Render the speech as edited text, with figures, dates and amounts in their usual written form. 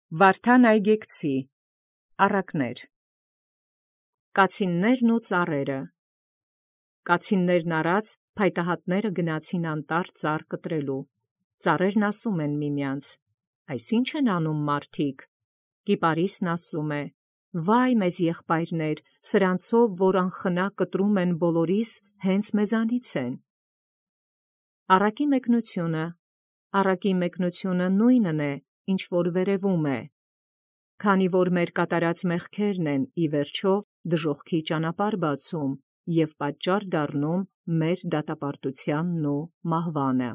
Վարդան այգեկցի առակներ։ Կացիններն ու ծառերը։ Կացիններն առած փայտահատները գնացին անտառ ծառ կտրելու։ Ծառերն ասում են միմյանց. «Այս ի՞նչ են անում մարդիկ»։ Կիպարիսն ասում է. «Վայ մեզ եղբայրներ, սրանցով որ անխնա կտրում են բոլորիս, հենց մեզանից են»։ Առակի մեկնությունը նույնն է, ինչ որ վերևում է։ Քանի որ մեր կատարած մեղքերն են ի վերջո դժոխքի ճանապարհ բացում և պատճառ դառնում մեր դատապարտությանն ու մահվանը։